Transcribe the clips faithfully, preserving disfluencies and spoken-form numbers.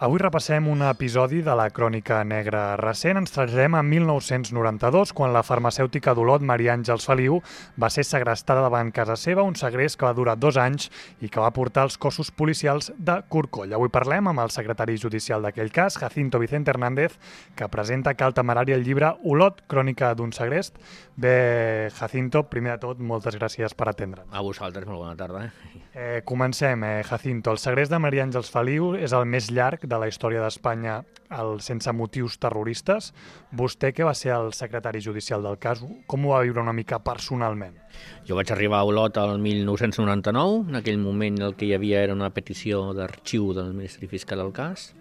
Avui repassem un episodi de la Crònica Negra recent. Ens traslladem a mil nou-cents noranta-dos, quan la farmacèutica d'Olot, Maria Àngels Feliu, va ser segrestada davant casa seva, un segrest que va durar dos anys i que va portar els cossos policials de Corcoll. Avui parlem amb el secretari judicial d'aquell cas, Jacinto Vicente Hernández, que presenta Cal Temerari el llibre Olot, crònica d'un segrest. Bé, Jacinto, primer de tot, moltes gràcies per atendre'ns. A vosaltres, molt bona tarda. Eh, comencem, eh, Jacinto. El segrest de Maria Àngels Feliu és el més llarg de la història d'Espanya el sense motius terroristes. Vostè, que va ser el secretari judicial del cas, com ho va viure una mica personalment? Jo vaig arribar a Olot el mil nou-cents noranta-nou. En aquell moment el que hi havia era una petició d'arxiu del Ministeri Fiscal del cas.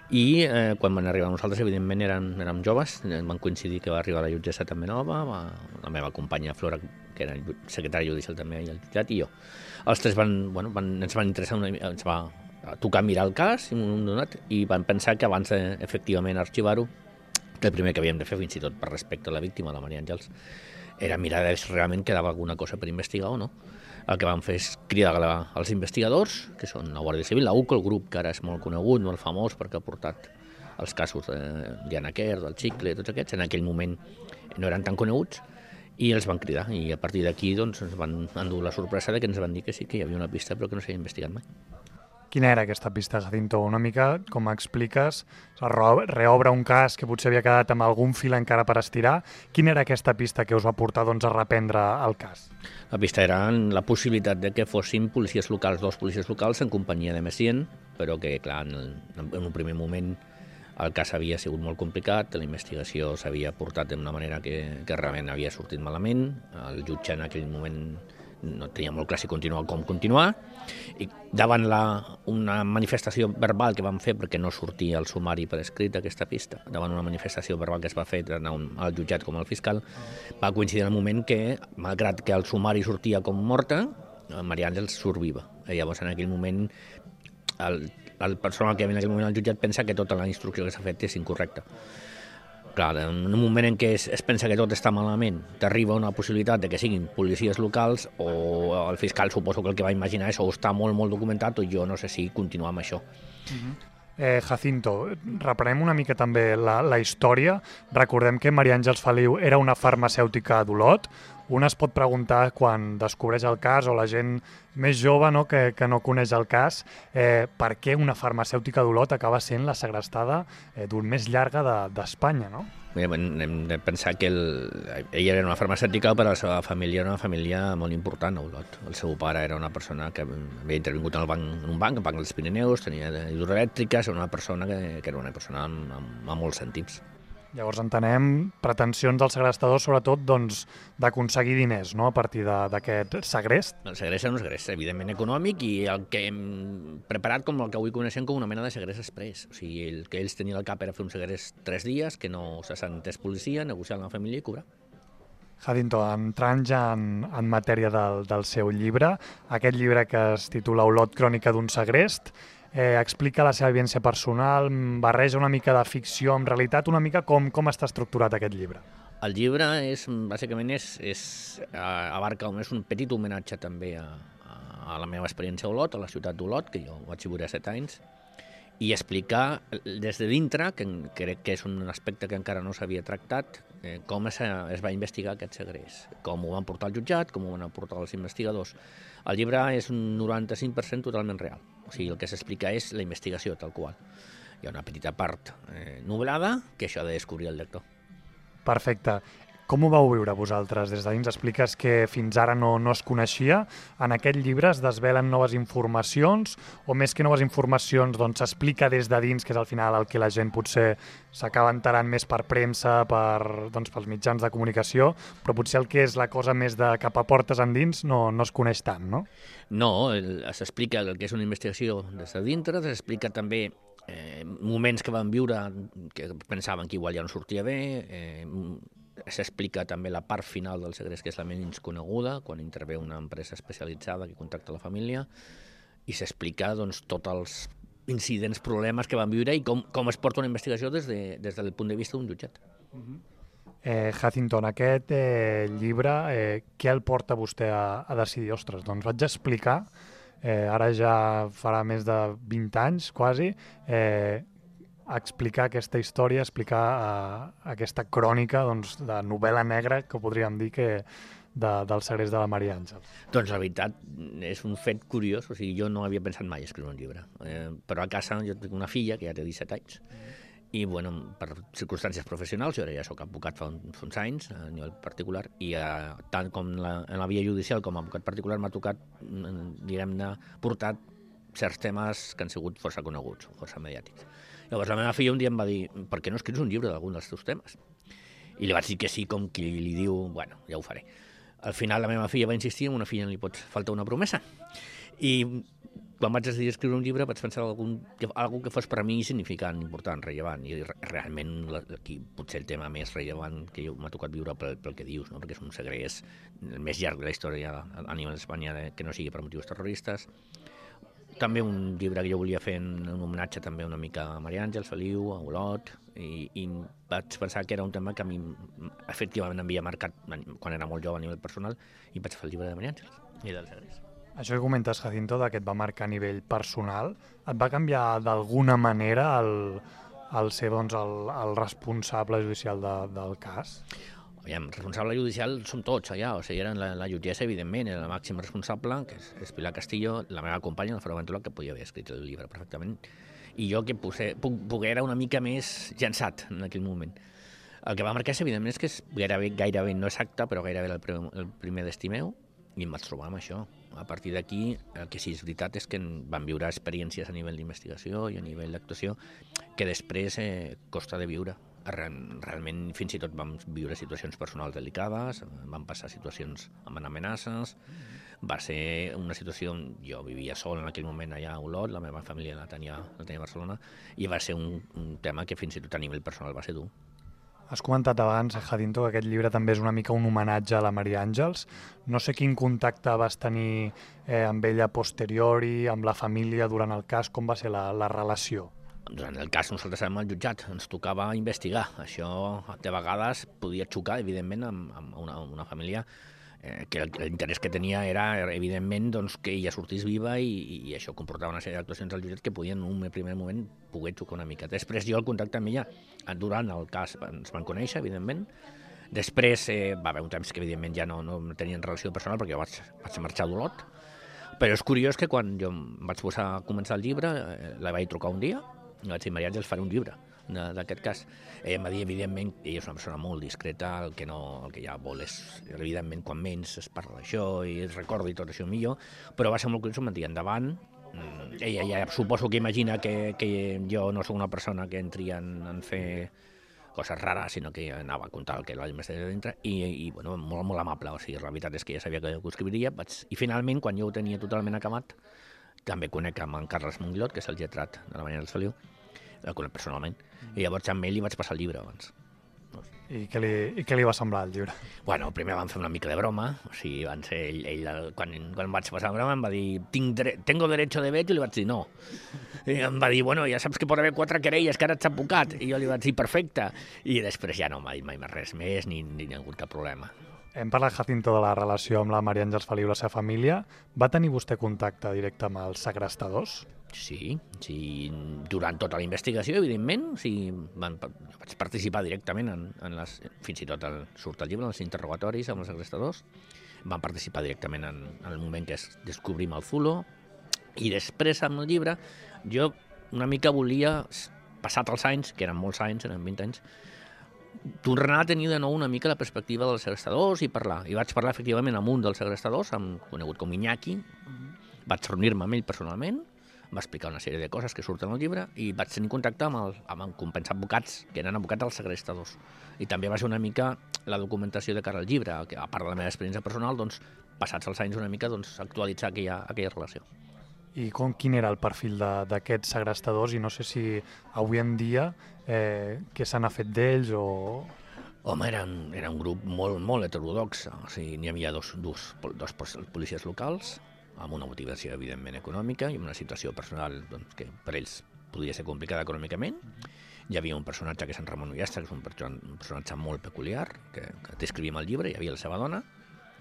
I eh, quan van arribar nosaltres, evidentment, érem, érem joves. Van coincidir que va arribar la jutgessa també nova, va, la meva companya Flora, que era secretari judicial també, i el jutjat, i jo. Els tres van, bueno, van, ens van interessar una, ens va tocar mirar el cas i, donat, i van pensar que abans de, efectivament, arxivar-ho, que el primer que havíem de fer, fins i tot per respecte a la víctima, la Maria Àngels, era mirar si realment quedava alguna cosa per investigar o no. El que van fer és cridar als investigadors, que són la Guàrdia Civil, la U C O, el grup que ara és molt conegut, molt famós, perquè ha portat els casos de Diana Quer, del Xicle, tots aquests, en aquell moment no eren tan coneguts, i els van cridar, i a partir d'aquí doncs, ens van endur la sorpresa de que ens van dir que sí que hi havia una pista però que no s'havia investigat mai. Quina era aquesta pista, Jacinto? Una mica, com expliques, reobre un cas que potser havia quedat amb algun fil encara per estirar. Quina era aquesta pista que us va portar doncs, a reprendre el cas? La pista era la possibilitat de que fossin policies locals, dos policies locals en companyia de més gent, però que, clar, en, en un primer moment el cas havia sigut molt complicat, la investigació s'havia portat d'una manera que, que realment havia sortit malament, el jutge en aquell moment no tenia molt clar si continuar o com continuar, i davant la, una manifestació verbal que vam fer, perquè no sortia el sumari per escrit d'aquesta pista, davant una manifestació verbal que es va fer tant al jutjat com al fiscal, va coincidir en el moment que, malgrat que el sumari sortia com morta, Maria Àngels surt viva. I llavors, en aquell moment, el, el personal que hi havia en aquell moment al jutjat pensa que tota la instrucció que s'ha fet és incorrecta. Clar, en un moment en què es, es pensa que tot està malament, t'arriba una possibilitat de que siguin policies locals, o el fiscal suposo que el que va imaginar és o està molt, molt documentat, o jo no sé si continuar amb això. Uh-huh. eh, Jacinto, reprenem una mica també la, la història. Recordem que Maria Àngels Feliu era una farmacèutica d'Olot. Un es pot preguntar, quan descobreix el cas, o la gent més jove, no, que, que no coneix el cas, eh, per què una farmacèutica d'Olot acaba sent la segrestada eh, d'un més llarga d'Espanya, no? Bé, hem de pensar que el, ella era una farmacèutica, però la seva família era una família molt important a Olot. El seu pare era una persona que havia intervingut en, el banc, en un banc, en banc dels Pirineus, tenia hidroelèctriques, era una persona que, que era una persona amb, amb, amb molts sentits. Llavors entenem pretensions del segrestador, sobretot, doncs, d'aconseguir diners, no?, a partir d'aquest segrest. El segrest era un segrest, evidentment, econòmic, i el que hem preparat com el que avui coneixem com una mena de segrest express. O sigui, el que ells tenien al cap era fer un segrest tres dies, que no se sentés policia, negociar amb la família i cobrar. Jacinto, entrant ja en, en matèria del, del seu llibre, aquest llibre que es titula Olot, crònica d'un segrest, Eh, explica la seva vivència personal, barreja una mica de ficció amb realitat, una mica com, com està estructurat aquest llibre. El llibre és, bàsicament, és, és, abarca és un petit homenatge també a, a la meva experiència a Olot, a la ciutat d'Olot, que jo vaig viure set anys, i explicar des de dintre, que crec que és un aspecte que encara no s'havia tractat, eh, com es, es va investigar aquest segrest, com ho van portar al jutjat, com ho van portar els investigadors. El llibre és un noranta-cinc per cent totalment real. O sigui, el que s'explica és la investigació, tal qual. Hi ha una petita part eh, nublada que això ha de descobrir el lector. Perfecte. Com ho vau viure vosaltres? Des de dins expliques que fins ara no, no es coneixia. En aquest llibre es desvelen noves informacions, o més que noves informacions, doncs s'explica des de dins, que és al final el que la gent potser s'acaba enterant més per premsa, per, doncs, pels mitjans de comunicació, però potser el que és la cosa més de cap a portes endins no, no es coneix tant, no? No, s'explica el que és una investigació des de dintre, s'explica també eh, moments que van viure que pensaven que igual ja no sortia bé, eh, s'explica també la part final del segrest, que és la menys coneguda, quan intervé una empresa especialitzada que contacta la família, i s'explica doncs, tots els incidents, problemes que van viure i com, com es porta una investigació des, de, des del punt de vista d'un jutjat. Uh-huh. eh, Jacinto, en aquest eh, llibre, eh, què el porta vostè a, a decidir? Ostres, doncs vaig explicar eh, ara ja farà més de vint anys, quasi, eh, explicar aquesta història, explicar eh, aquesta crònica doncs, de novel·la negra, que podríem dir que de, del segrest de la Maria Àngels. Doncs la veritat és un fet curiós, o sigui, jo no havia pensat mai escriure un llibre, eh, però a casa jo tinc una filla que ja té disset anys, i bueno, per circumstàncies professionals, jo ara ja soc advocat fa, un, fa uns anys a nivell particular, i eh, tant com la, en la via judicial com a advocat particular m'ha tocat, diguem-ne, portar certs temes que han sigut força coneguts, força mediàtics. Llavors la meva filla un dia em va dir, per què no escrius un llibre d'algun dels teus temes? I li vaig dir que sí, com qui li diu, bueno, ja ho faré. Al final la meva filla va insistir, a una filla no li pot faltar una promesa. I quan vaig decidir escriure un llibre vaig pensar en algun, algú que fos per a mi significant, important, rellevant, i realment aquí potser el tema més rellevant que m'ha tocat viure pel, pel que dius, no? Perquè és un segrest el més llarg de la història a nivell d'Espanya que no sigui per motius terroristes. També un llibre que jo volia fer en un homenatge també una mica a Maria Àngels, Feliu, a Olot, i, i vaig pensar que era un tema que a mi efectivament m'havia marcat quan era molt jove a nivell personal, i vaig fer el llibre de Maria Àngels i del segrest. Això que comentes, Jacinto, que et va marcar a nivell personal, et va canviar d'alguna manera el, el ser doncs, el, el responsable judicial de, del cas? Aviam, responsable judicial som tots allà, o sigui, eren la, la jutgessa, evidentment, era la màxima responsable, que és, és Pilar Castillo, la meva companya, la Ferro Ventura, que podia haver escrit el llibre perfectament, i jo que poder, poder era una mica més llançat en aquell moment. El que va marcar, evidentment, és que és gairebé, gairebé no exacte, però gairebé el, primer, el primer destí meu, i em vaig trobar amb això. A partir d'aquí, el que sí és veritat és que van viure experiències a nivell d'investigació i a nivell d'actuació que després eh, costa de viure. Realment, fins i tot vam viure situacions personals delicades, vam passar situacions amb amenaces, va ser una situació, jo vivia sol en aquell moment allà a Olot, la meva família la tenia, la tenia a Barcelona, i va ser un, un tema que fins i tot a nivell personal va ser dur. Has comentat abans, Jacinto, que aquest llibre també és una mica un homenatge a la Maria Àngels. No sé quin contacte vas tenir eh, amb ella posteriori, amb la família durant el cas, com va ser la, la relació? Durant el cas nosaltres érem al jutjat, ens tocava investigar. Això de vegades podia xocar, evidentment, amb, amb una, una família eh, que l'interès que tenia era, evidentment, doncs, que ella sortís viva i, i això comportava una sèrie d'actuacions al jutjat que podien en un primer moment poder xocar una mica. Després jo el contacte amb ella, durant el cas ens van conèixer, evidentment. Després eh, va haver un temps que, evidentment, ja no, no tenien relació personal perquè jo vaig, vaig marxar d'Olot. Però és curiós que quan jo vaig posar a començar el llibre, eh, la vaig trucar un dia, i vaig dir, Maria Àngels, faré un llibre d'aquest cas. Ella em va dir, evidentment, ella és una persona molt discreta, el que, no, el que ja vol és, evidentment, quan menys es parla d'això i es recorda i tot això millor, però va ser molt curiós, em va dir, endavant. Ella ja suposo que imagina que, que jo no soc una persona que entri en, en fer coses rares, sinó que anava a contar el que la investigació dintre, i, i bueno, molt, molt amable, o sigui, la veritat és que ja sabia que ho escriviria, vaig... i finalment, quan jo ho tenia totalment acabat, també conec amb en Carles Monglot, que és el lletrat de la Maria Àngels Feliu, el conec personalment, mm. i llavors amb ell li vaig passar el llibre abans. I què li, i què li va semblar el llibre? Bueno, primer vam fer una mica de broma, o sigui, van ser ell, ell quan, quan vaig passar la broma em va dir, Tinc dre tengo derecho de veto, i li vaig dir no. I em va dir, bueno, ja saps que pot haver quatre querelles, que ara ets advocat, i jo li vaig dir, perfecte, i després ja no m'ha dit mai res més, ni, ni hi ha hagut cap problema. Hem parlat, Jacinto, de la relació amb la Maria Àngels Feliu i la seva família. Va tenir vostè contacte directe amb els segrestadors? Sí, sí, durant tota la investigació, evidentment, o sigui, van, vaig participar directament en, en les, fins i tot el, surt el llibre, en els interrogatoris amb els segrestadors, van participar directament en, en el moment que es descobrim el Zulo, i després amb el llibre jo una mica volia, passat els anys, que eren molts anys, eren vint anys, tornar a tenir de nou una mica la perspectiva dels segrestadors i parlar. I vaig parlar efectivament amb un dels segrestadors, amb, conegut com Iñaki, vaig reunir-me amb ell personalment, va explicar una sèrie de coses que surten al llibre i vaig tenir contacte amb, el, amb el compens advocats, que eren advocats dels segrestadors. I també va ser una mica la documentació de cara al llibre, que a part de la meva experiència personal, doncs, passats els anys una mica, doncs, actualitzar aquella, aquella relació. I com, quin era el perfil d'aquests segrestadors i no sé si avui en dia eh, què se n'ha fet d'ells o... Home, era, era un grup molt, molt heterodox, o sigui, n'hi havia dos, dos, dos policies locals, amb una motivació evidentment econòmica i una situació personal doncs, que per ells podia ser complicada econòmicament. Hi havia un personatge que és en Ramon Ullastre, que és un personatge molt peculiar, que, que descrivim al llibre, hi havia la seva dona,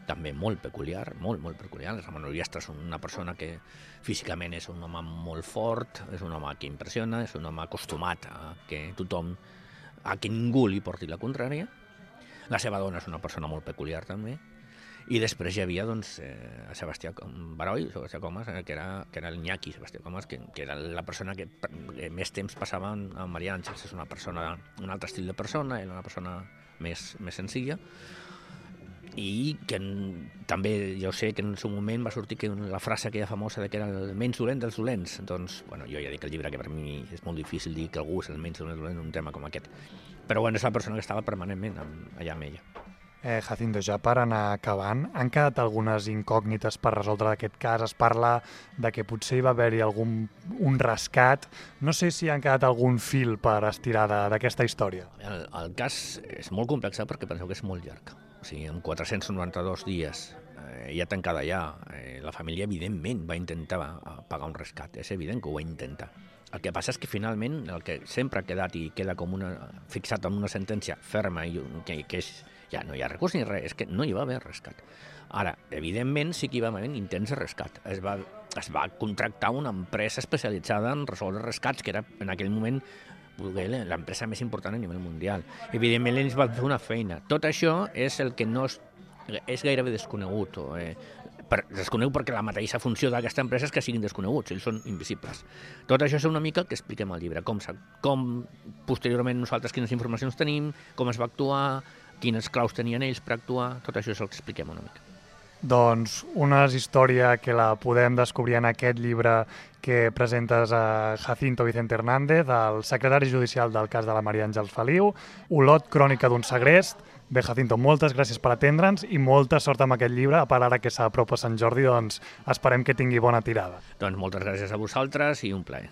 també molt peculiar, molt, molt peculiar. El Ramon Ullestre és una persona que físicament és un home molt fort, és un home que impressiona, és un home acostumat a que tothom, a que ningú li porti la contrària. La seva dona és una persona molt peculiar també. I després hi havia doncs, eh, Sebastià Baroi, Sebastià Comas, eh, que, era, que era el nyaqui Sebastià Comas, que, que era la persona que, que més temps passava amb Maria Àngels. És una persona, un altre estil de persona, era una persona més, més senzilla, i que en, també jo sé que en el seu moment va sortir que la frase aquella famosa de que era el menys dolent dels dolents. Doncs, bueno, jo ja dic el llibre que per mi és molt difícil dir que algú és el menys dolent dels dolents en un tema com aquest. Però bueno, és la persona que estava permanentment amb, allà amb ella. Eh, Jacinto, ja per anar acabant, han quedat algunes incògnites per resoldre aquest cas. Es parla de que potser hi va haver-hi algun un rescat. No sé si han quedat algun fil per estirar d'aquesta història. El, el cas és molt complex perquè penseu que és molt llarg. O sigui, en quatre-cents noranta-dos dies, eh, ja tancada ja, eh, la família evidentment va intentar pagar un rescat. És evident que ho va intentar. El que passa és que finalment el que sempre ha quedat i queda com una, fixat en una sentència ferma i que, que és ja no hi ha recurs ni res, és que no hi va haver rescat. Ara, evidentment, sí que hi va haver intents de rescat. Es va, es va contractar una empresa especialitzada en resoldre rescats, que era en aquell moment l'empresa més important a nivell mundial. Evidentment, ells van fer una feina. Tot això és el que no és, és gairebé desconegut. O, eh, per, desconegut perquè la mateixa funció d'aquesta empresa és que siguin desconeguts, ells són invisibles. Tot això és una mica que expliquem al llibre, com, com posteriorment nosaltres quines informacions tenim, com es va actuar, quines claus tenien ells per actuar, tot això és el que expliquem una mica. Doncs una història que la podem descobrir en aquest llibre que presentes a Jacinto Vicente Hernández, el secretari judicial del cas de la Maria Àngels Feliu, Olot, crònica d'un segrest. Bé, Jacinto, moltes gràcies per atendre'ns i molta sort amb aquest llibre. A part, ara que s'apropa Sant Jordi, doncs esperem que tingui bona tirada. Doncs moltes gràcies a vosaltres i un plaer.